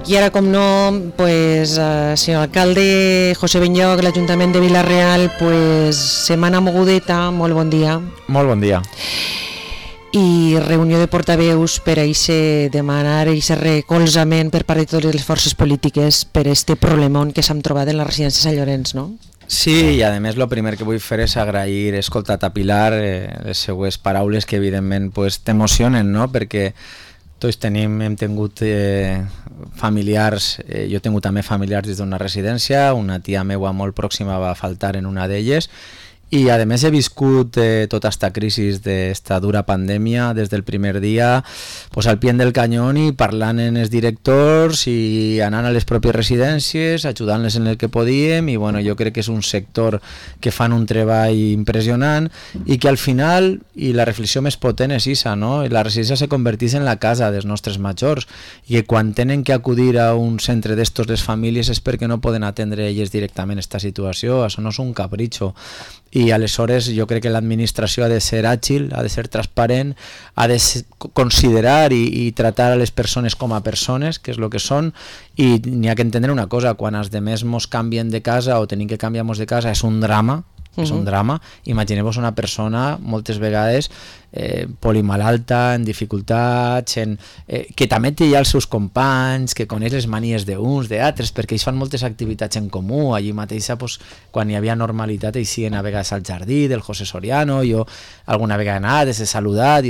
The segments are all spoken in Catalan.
I ara, com no, pues, senyor alcalde José Benlloc, l'Ajuntament de Vila-real, pues, setmana mogudeta, molt bon dia. Molt bon dia. I reunió de portaveus per a demanar aquest recolzament per part de totes les forces polítiques per este problemón que s'han trobat en la residència Sant Llorenç, no? Sí, i a més el primer que vull fer és agrair, escoltat a Pilar, les seues paraules que evidentment pues, t'emocionen, no? Perquè tots hem tingut familiars, jo he tingut també familiars des d'una residència, una tia meua molt pròxima va faltar en una d'elles, i a més he viscut tota esta crisi d'esta dura pandèmia des del primer dia pues, al pie del canyón i parlant amb els directors i anant a les pròpies residències, ajudant-les en el que podíem, i bueno, jo crec que és un sector que fan un treball impressionant i que al final, i la reflexió més potent és esa, no? La residència se converteix en la casa dels nostres majors i que quan tenen que acudir a un centre d'estos les famílies és perquè no poden atendre elles directament esta situació, això no és un capritxo. I aleshores jo crec que l'administració ha de ser àgil, ha de ser transparent, ha de considerar i tratar a les persones com a persones, que és el que són, i n'hi ha que entendre una cosa, quan els demés mos canvien de casa o tenim que canviar-nos de casa és un drama, és un drama. Imagineu-vos una persona moltes vegades polimalalta, en dificultats, que també té ja els seus companys, que coneix les manies d'uns, d'altres, perquè ells fan moltes activitats en comú. Allí mateixa, pues, quan hi havia normalitat, ells siguen a vegades al jardí del José Soriano, jo alguna vegada he anat, he saludat,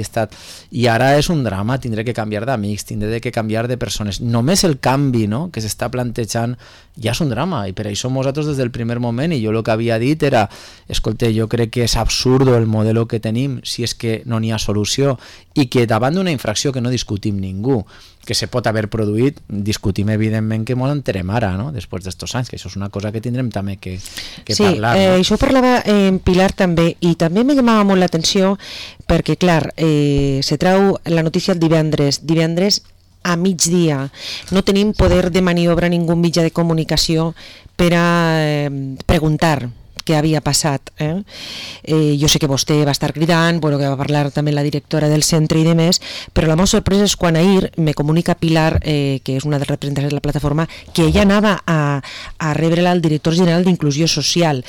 i ara és un drama, tindré que canviar d'amics, tindré que canviar de persones. Només el canvi, no?, que s'està plantejant ja és un drama, i per això nosaltres des del primer moment, i jo el que havia dit era, escolta, jo crec que és absurdo el model que tenim si és que no n'hi ha solució, i que davant d'una infracció que no discutim ningú, que se pot haver produït, discutim evidentment que molt enterem ara, no?, després d'estos anys, que això és una cosa que tindrem també que parlar. Sí, això parlava en Pilar també, i també me llamava molt l'atenció perquè, clar, se trau la notícia el divendres a migdia, no tenim poder de maniobra ningú mitjà de comunicació per a preguntar què havia passat. Jo sé que vostè va estar cridant, bueno, que va parlar també la directora del centre i demés, però la meva sorpresa és quan ahir me comunica Pilar, que és una de les representants de la plataforma, que ella anava a rebre-la al director general d'Inclusió Social.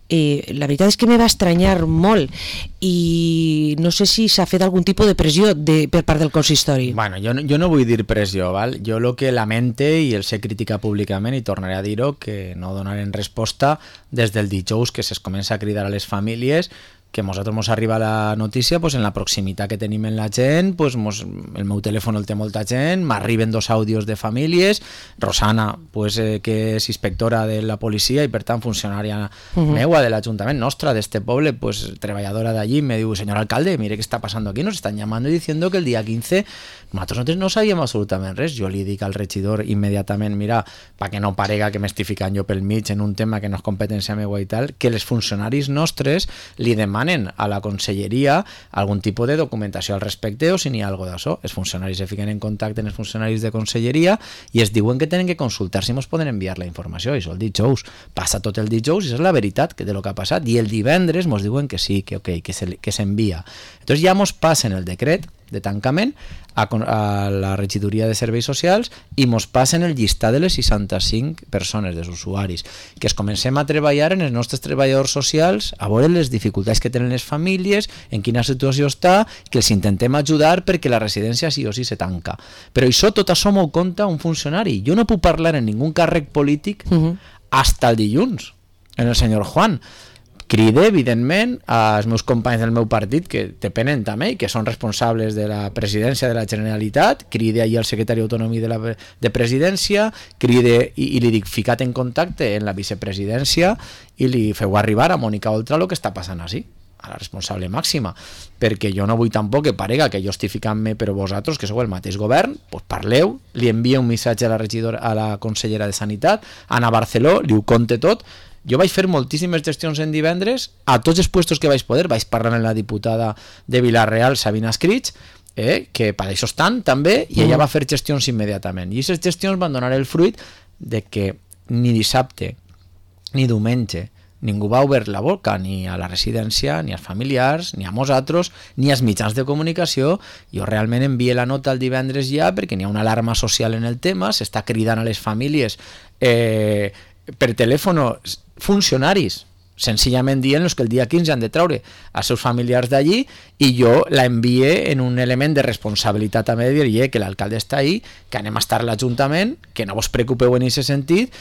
La veritat és que me va estranyar molt i no sé si s'ha fet algun tipus de pressió per part del consistori. Bueno, jo no vull dir pressió, val? Jo el que lamente, i el sé criticar públicament, i tornaré a dir-ho, que no donarem resposta des del dijous que es comença a cridar a les famílies, que a nosaltres ens arriba la notícia pues, en la proximitat que tenim en la gent, pues, el meu telèfon el té molta gent, m'arriben 2 àudios de famílies, Rosana, pues, que és inspectora de la policia i per tant funcionària meua de l'Ajuntament nostre, d'este poble, pues, treballadora d'allí, me diu, senyor alcalde, mire què està passant aquí, nos están llamando y diciendo que el día 15 nosaltres no sabíem absolutament res. Jo li dic al regidor immediatament, mira, perquè no parega que m'estic ficant jo pel mig en un tema que no és competència meua i tal, que els funcionaris nostres li demanen a la conselleria algun tipus de documentació al respecte o si n'hi ha alguna cosa d'això. Els funcionaris se fiquen en contacte amb els funcionaris de conselleria i es diuen que tenen que consultar si ens poden enviar la informació. Això el dijous. Passa tot el dijous i és la veritat de lo que ha passat. I el divendres ens diuen que sí, que ok, que s'envia. Entonces ja ens passen el decret de tancament a la regidoria de serveis socials i mos passen el llistat de les 65 persones, dels usuaris, que es comencem a treballar en els nostres treballadors socials, a veure les dificultats que tenen les famílies, en quina situació està, que els intentem ajudar perquè la residència sí o sí se tanca. Però tot això m'ho compta un funcionari. Jo no puc parlar en ningú càrrec polític hasta el dilluns, en el senyor Juan. Cride, evidentment, als meus companys del meu partit que depenen també i que són responsables de la presidència de la Generalitat, cride ahir al secretari d'autonomia de presidència, cride i li dic ficat en contacte en la vicepresidència i li feu arribar a Mònica Oltra el que està passant així, a la responsable màxima, perquè jo no vull tampoc que parega que jo estic ficant-me, però vosaltres, que sou el mateix govern, pues parleu, li envia un missatge a la consellera de Sanitat, Ana Barceló, li ho conte tot. Jo vaig fer moltíssimes gestions en divendres a tots els puestos que vaig poder. Vaig parlar amb la diputada de Vila-real, Sabina Escrits, que per això estan també, i ella va fer gestions immediatament. I aquestes gestions van donar el fruit de que ni dissabte ni diumenge ningú va obrir la boca, ni a la residència, ni als familiars, ni a nosaltres, ni als mitjans de comunicació. Jo realment envié la nota el divendres ja perquè n'hi ha una alarma social en el tema, s'està cridant a les famílies per telèfon funcionaris, senzillament dient que el dia 15 han de treure els seus familiars d'allí, i jo la envié en un element de responsabilitat també de dir que l'alcalde està ahí, que anem a estar a l'Ajuntament, que no vos preocupeu en aquest sentit,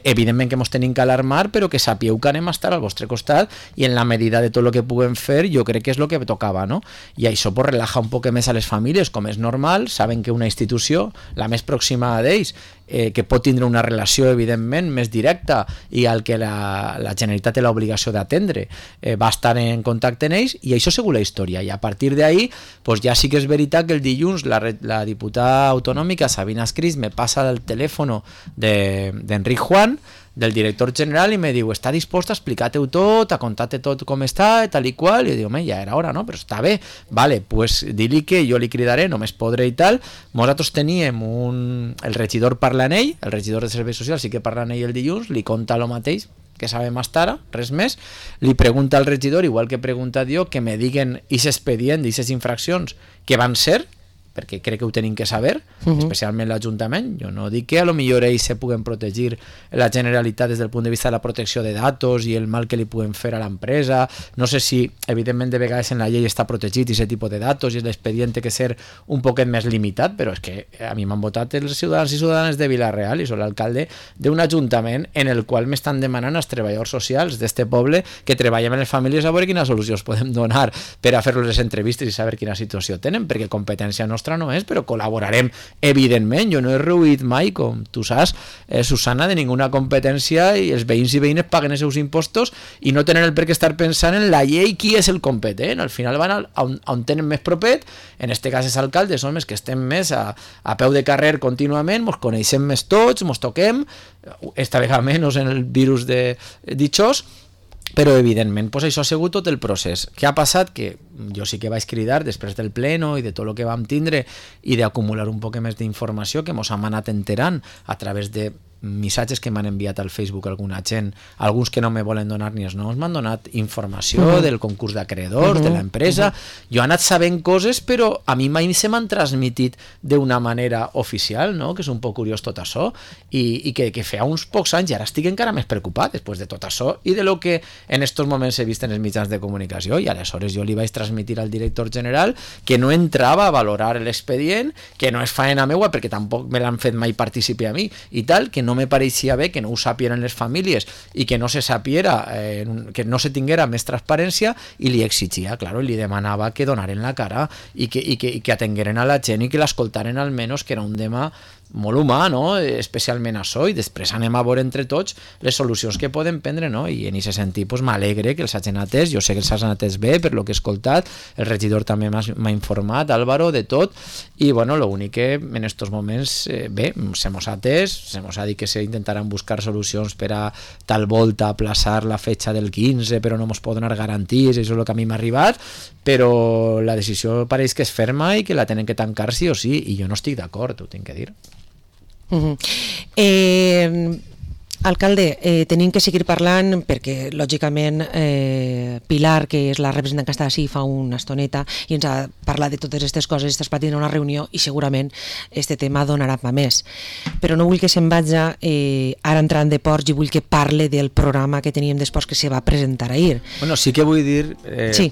evidentment que ens tenim que alarmar, però que sapieu que anem a estar al vostre costat i en la medida de tot el que puguem fer jo crec que és el que tocava, no? I això pues, relaja un poc més a les famílies, com és normal, saben que una institució, la més pròxima d'ells, que pot tindre una relació evidentment més directa i al que la Generalitat té l'obligació d'atendre, va estar en contacte amb ells, i això segur la història, i a partir d'ahí pues ja sí que és veritat que el dilluns la diputada autonòmica Sabina Escris me passa el telèfon d'Enric Juan, del director general, i me diu, està dispost a explicar-te-ho tot, a contar-te tot com està, tal i qual, i diu, ja era hora, no? Però està bé, vale, pues di-li que jo li cridaré, només podré i tal. Nosaltres teníem el regidor parla en ell, el regidor de Serveis Socials sí que parla en ell el dilluns, li conta el mateix que sabem hasta ara, res més, li pregunta al regidor, igual que he preguntat jo, que me diguen aquest expedient d'aquestes infraccions que van ser, perquè crec que ho tenim que saber, especialment l'Ajuntament. Jo no dic que a lo millor ells se puguen protegir la Generalitat des del punt de vista de la protecció de datos i el mal que li puguen fer a l'empresa. No sé si, evidentment, de vegades en la llei està protegit aquest tipus de datos i l'expedient té que ser un poquet més limitat, però és que a mi m'han votat els ciutadans i ciutadanes de Vila-real i soc l'alcalde d'un ajuntament en el qual m'estan demanant als treballadors socials d'este poble que treballem en les famílies a veure quines solucions podem donar per a fer-los les entrevistes i saber quina situació tenen, perquè competència nostra no és, però col·laborarem evidentment. Jo no he reduït mai, com tu saps, Susana, de ninguna competència, i els veïns i veïnes paguen els seus impostos i no tenen el per què estar pensant en la llei qui és el competent. Al final van on tenen més propet, en este cas és alcalde, som els que estem més a peu de carrer contínuament, mos coneixem més tots, mos toquem, esta vegada menys en el virus de ditxós, però evidentment pues això ha sigut tot el procés. Què ha passat? Que jo sí que vaig cridar després del pleno i de tot el que vam tindre i d'acumular un poc més d'informació que mos hem anat enterant a través de missatges que m'han enviat al Facebook alguna gent, alguns que no me volen donar ni els noms, m'han donat informació del concurs d'acreedors, de l'empresa. Jo he anat sabent coses, però a mi mai se m'han transmitit d'una manera oficial, no? Que és un poc curiós tot això, i que feia uns pocs anys, i ara estic encara més preocupat després de tot això i de lo que en estos moments he vist en els mitjans de comunicació, i aleshores jo li vaig transmitir al director general que no entrava a valorar l'expedient, que no és faena meua perquè tampoc me l'han fet mai partícipe a mi i tal, que no me pareixia bé que no ho sapien les famílies i que no se sapiera, que no se tinguera més transparència, i li exigia, claro, i li demanava que donaren la cara i que atengueren a la gent i que l'escoltaren almenys, que era un tema molt humà, no? Especialment això, i després anem a veure entre tots les solucions que podem prendre, no? I en aquest sentit pues, m'alegre que els hagin atès, jo sé que els hagin atès bé per lo que he escoltat, el regidor també m'ha informat, Álvaro, de tot, i bueno, l'únic que en estos moments bé, se mos ha atès, se mos ha dit que se intentaran buscar solucions per a tal volta aplaçar la fetxa del 15, però no mos pot donar garanties, això és el que a mi m'ha arribat, però la decisió pareix que és ferma i que la tenen que tancar sí o sí, i jo no estic d'acord, ho tinc que dir. Alcalde, tenim que seguir parlant perquè, lògicament, Pilar, que és la representant que està així fa una estoneta i ens ha parlat de totes aquestes coses, estàs patint una reunió i segurament este tema donarà pa més. Però no vull que se'n vagi ara entrant de ports i vull que parle del programa que teníem després que se va presentar ahir. Bueno, sí que vull dir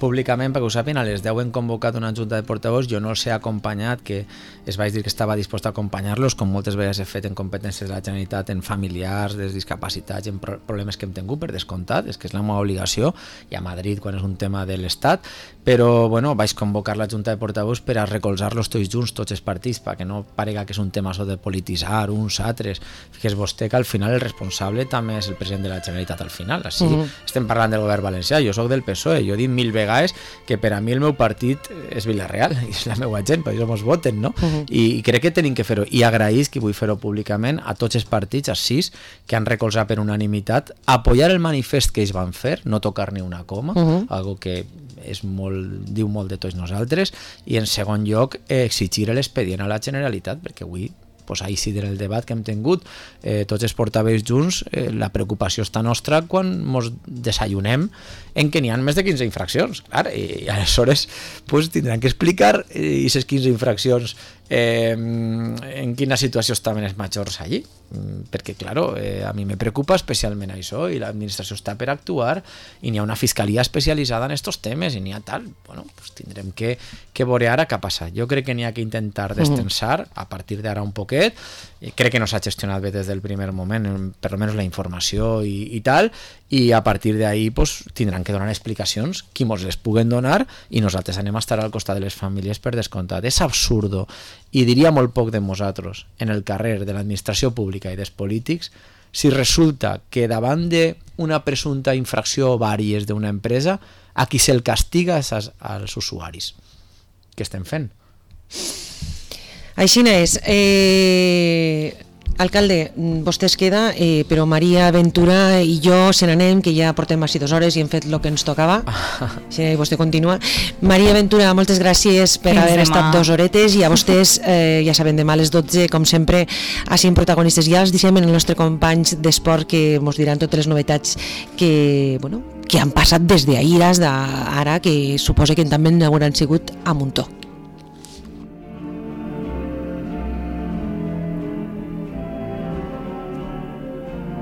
públicament, perquè ho sàpien, a les 10 hem convocat una junta de portavots, jo no els he acompanyat, que es vaig dir que estava dispost a acompanyar-los, com moltes vegades he fet en competències de la Generalitat, en familiars, des discapacitats, en problemes que hem tingut, per descomptat, és que és la meva obligació, i a Madrid quan és un tema de l'Estat, però bueno, vaig convocar la junta de portavots per a recolzar-los tots junts, tots els partits, perquè no parega que és un tema de polititzar uns altres. Fixes vostè que al final el responsable també és el president de la Generalitat al final, així estem parlant del govern valencià, jo soc del PSOE, jo he dit 1000 vegades que per a mi el meu partit és Vila-real, i és la meva gent, per això mos voten, no? I crec que tenim que fer-ho, i agraïs que vull fer-ho públicament a tots els partits, a 6, que han recolzat per unanimitat, apoyar el manifest que ells van fer, no tocar ni una coma, algo que és diu molt de tots nosaltres, i en segon lloc exigir l'expedient a la Generalitat, perquè avui pues ahir sí del debat que hem tingut, tots els portaveus junts, la preocupació està nostra quan ens desayunem en que n'hi ha més de 15 infraccions, clar, i aleshores pues, tindran que explicar aquestes 15 infraccions en quina situació estaven els majors allí, perquè claro, a mi me preocupa especialment això i l'administració està per actuar i n'hi ha una fiscalia especialitzada en estos temes i n'hi ha tal, bueno, pues tindrem que veure ara què ha passat. Jo crec que n'hi ha que intentar destensar a partir d'ara un poquet, crec que no s'ha gestionat bé des del primer moment, per almenys la informació i tal, i a partir d'ahí pues, tindran que donar explicacions qui mos les puguen donar i nosaltres anem a estar al costat de les famílies per descomptat. És absurdo i diria molt poc de nosaltres en el carrer de l'administració pública i dels polítics si resulta que davant d'una presumpta infracció o vàries d'una empresa a qui se'l castiga és als usuaris. Què estem fent? Així és. Alcalde, vostè es queda, però Maria Ventura i jo se n'anem, que ja portem així 2 hores i hem fet el que ens tocava. Sí, vostè continua. Maria Ventura, moltes gràcies per haver estat 2 horetes i a vostès, ja saben, demà a les 12, com sempre, així en protagonistes. Ja els deixem en els nostres companys d'esport que ens diran totes les novetats que han passat des d'ahir fins ara, que suposo que també n'hauran sigut a muntó.